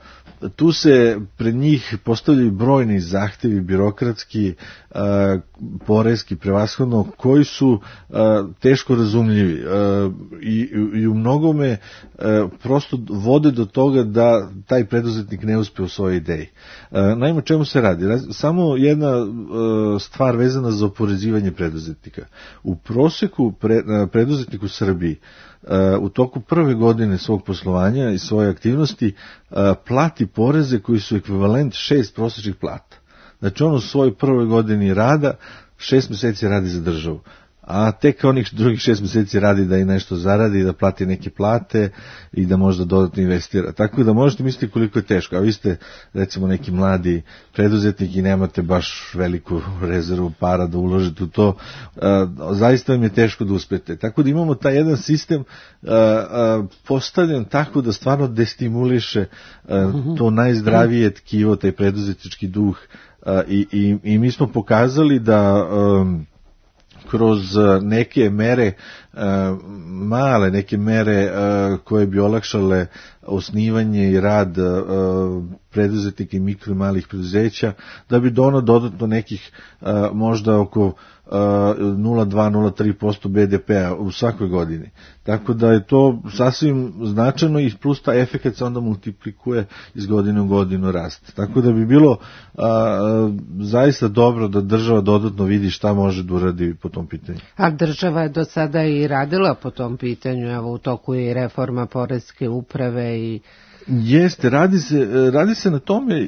tu se pred njih postavljaju brojni zahtevi birokratski, a, poreski prevashodno, koji su a, teško razumljivi a, i, i u mnogome a, prosto vode do toga da taj preduzetnik ne uspe u svojoj ideji. A, naime, čemu se radi? Samo jedna a, stvar vezana za oporezivanje preduzetnika. U proseku pre, a, preduzetnik u Srbiji u toku prve godine svog poslovanja i svoje aktivnosti plati poreze koji su ekvivalent šest prosječnih plata. Znači on u svojoj prvoj godini rada šest mjeseci radi za državu, a tek onih drugih šest mjeseci radi da i nešto zaradi, da plati neke plate i da možda dodatno investira. Tako da možete misliti koliko je teško, a vi ste recimo neki mladi preduzetnik i nemate baš veliku rezervu para da uložite u to, zaista vam je teško da uspete. Tako da imamo taj jedan sistem postavljen tako da stvarno destimuliše to najzdravije tkivo, taj preduzetnički duh i, i, i mi smo pokazali da kroz neke mere, male neke mere koje bi olakšale osnivanje i rad preduzetnika i mikro i malih preduzeća, da bi dono dodatno nekih možda oko nula zarez dva do nula zarez tri posto be de pea u svakoj godini. Tako da je to sasvim značajno i plus ta efekat se onda multiplikuje iz godine u godinu raste. Tako da bi bilo a, zaista dobro da država dodatno vidi šta može da uradi po tom pitanju. A država je do sada i radila po tom pitanju, evo u toku je i reforma poreske uprave i Jeste, radi se, radi se na tome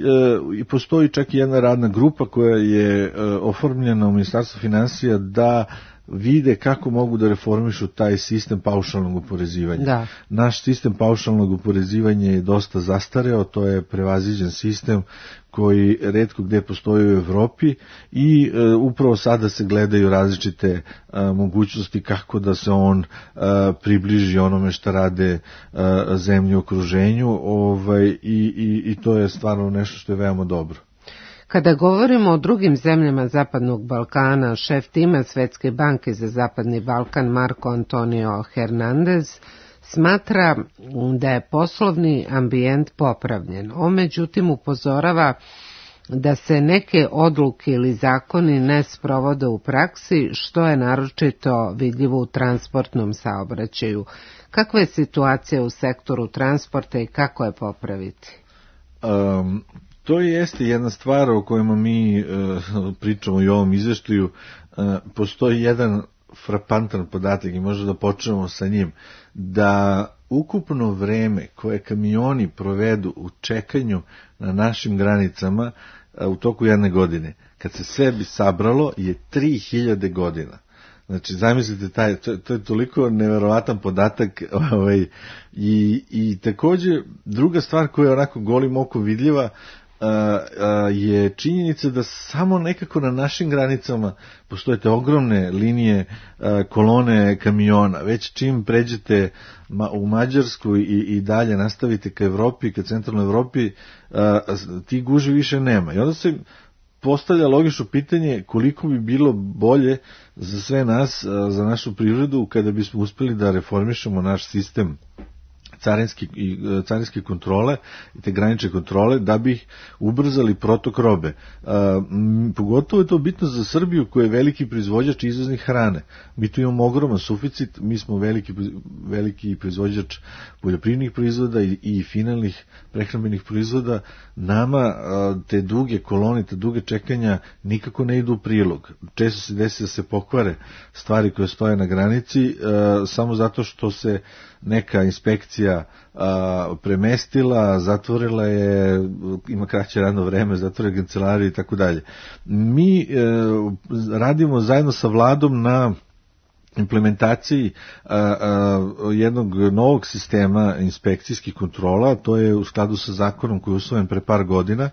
i postoji čak i jedna radna grupa koja je oformljena u Ministarstvu finansija da vide kako mogu da reformišu taj sistem paušalnog oporezivanja. Da. Naš sistem paušalnog oporezivanja je dosta zastareo, to je prevaziđen sistem koji retko gde postoji u Evropi i e, upravo sada se gledaju različite e, mogućnosti kako da se on e, približi onome što rade e, zemlje u okruženju, ovaj, i, i, i to je stvarno nešto što je veoma dobro. Kada govorimo o drugim zemljama Zapadnog Balkana, šef tima Svetske banke za Zapadni Balkan Marko Antonio Hernandez smatra da je poslovni ambijent popravljen. On međutim upozorava da se neke odluke ili zakoni ne sprovode u praksi, što je naročito vidljivo u transportnom saobraćaju. Kakva je situacija u sektoru transporta i kako je popraviti? Um... To jeste jedna stvar o kojima mi e, pričamo i u ovom izveštaju. E, postoji jedan frapantan podatak i možda da počnemo sa njim, da ukupno vreme koje kamioni provedu u čekanju na našim granicama e, u toku jedne godine, kad se sve bi sabralo, je tri hiljade godina. Znači, zamislite, taj, to, to je toliko neverovatan podatak, ovaj, i, i takođe, druga stvar koja je onako golim okom vidljiva, Uh, uh, je činjenica da samo nekako na našim granicama postoje te ogromne linije, uh, kolone kamiona. Već čim pređete ma, u Mađarsku i, i dalje nastavite ka Evropi, ka centralnoj Evropi, uh, ti guži više nema. I onda se postavlja logično pitanje koliko bi bilo bolje za sve nas, uh, za našu privredu, kada bismo uspeli da reformišemo naš sistem carinske i carinske kontrole i te granične kontrole da bi ubrzali protok robe. E, m, pogotovo je to bitno za Srbiju koja je veliki proizvođač izvoznih hrane. Mi tu imamo ogroman suficit, mi smo veliki, veliki proizvođač poljoprivrednih proizvoda i, i finalnih prehrambenih proizvoda. Nama a, te duge kolone, te duge čekanja nikako ne idu u prilog. Često se desi da se pokvare stvari koje stoje na granici a, samo zato što se neka inspekcija a, premestila, zatvorila je, ima kraće radno vreme, zatvorila kancelariju i tako dalje. Mi e, radimo zajedno sa vladom na implementaciji a, a, jednog novog sistema inspekcijskih kontrola, to je u skladu sa zakonom koji je usvojen pre par godina,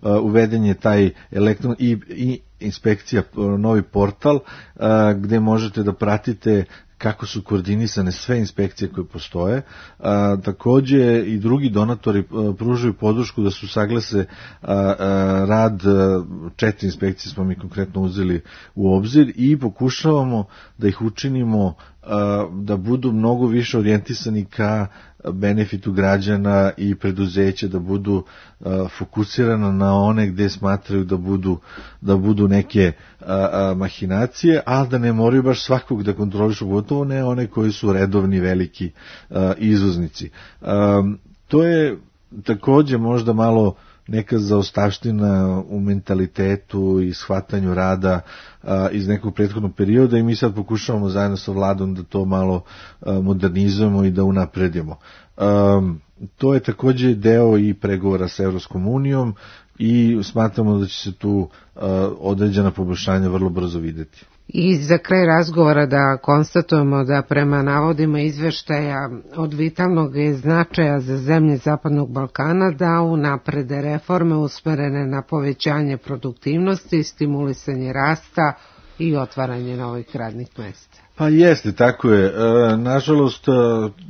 a, uveden je taj elektron i, i inspekcija, novi portal a, gde možete da pratite kako su koordinisane sve inspekcije koje postoje. A, takođe i drugi donatori a, pružaju podršku da su saglase a, a, rad a, četiri inspekcije smo mi konkretno uzeli u obzir i pokušavamo da ih učinimo a, da budu mnogo više orijentisani ka benefitu građana i preduzeća, da budu a, fokusirana na one gde smatraju da budu, da budu neke a, a, mahinacije, a da ne moraju baš svakog da kontrolišu, gotovo ne one koji su redovni veliki a, izvoznici. A, to je takođe možda malo neka zaostavština u mentalitetu i shvatanju rada a, iz nekog prethodnog perioda i mi sad pokušavamo zajedno sa vladom da to malo a, modernizujemo i da unapredimo. A, to je takođe deo i pregovora sa Evropskom unijom i smatramo da će se tu a, određena poboljšanja vrlo brzo videti. I za kraj razgovora da konstatujemo da prema navodima izveštaja od vitalnog je značaja za zemlje Zapadnog Balkana da unaprede reforme usmerene na povećanje produktivnosti, stimulisanje rasta i otvaranje novih radnih mesta. Pa jeste, tako je. E, nažalost,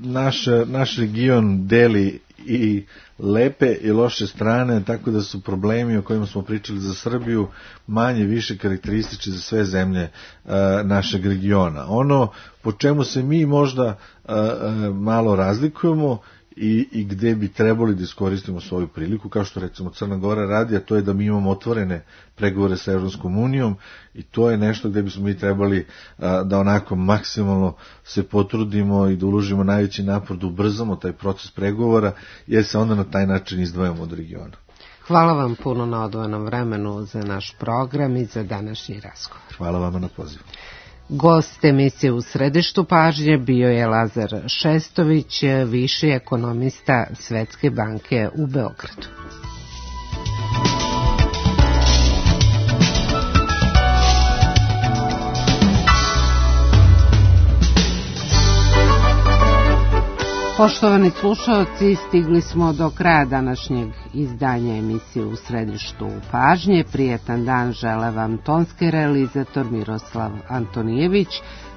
naš, naš region deli i lepe i loše strane, tako da su problemi o kojima smo pričali za Srbiju manje više karakteristični za sve zemlje e, našeg regiona. Ono po čemu se mi možda e, malo razlikujemo i, i gde bi trebali da iskoristimo svoju priliku, kao što recimo Crna Gora radi, a to je da mi imamo otvorene pregovore sa Evropskom unijom i to je nešto gde bismo mi trebali a, da onako maksimalno se potrudimo i da uložimo najveći napor da ubrzamo taj proces pregovora, jer se onda na taj način izdvajamo od regiona. Hvala vam puno na odvojenom vremenu za naš program i za današnji razgovor. Hvala vama na pozivu. Gost emisije U središtu pažnje bio je Lazar Šestović, viši ekonomista Svetske banke u Beogradu. Poštovani slušalci, stigli smo do kraja današnjeg izdanja emisije U središtu pažnje. Prijetan dan žele vam tonski realizator Miroslav Antonijević,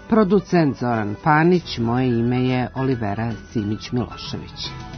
producent Zoran Panić, moje ime je Olivera Simić-Milošević.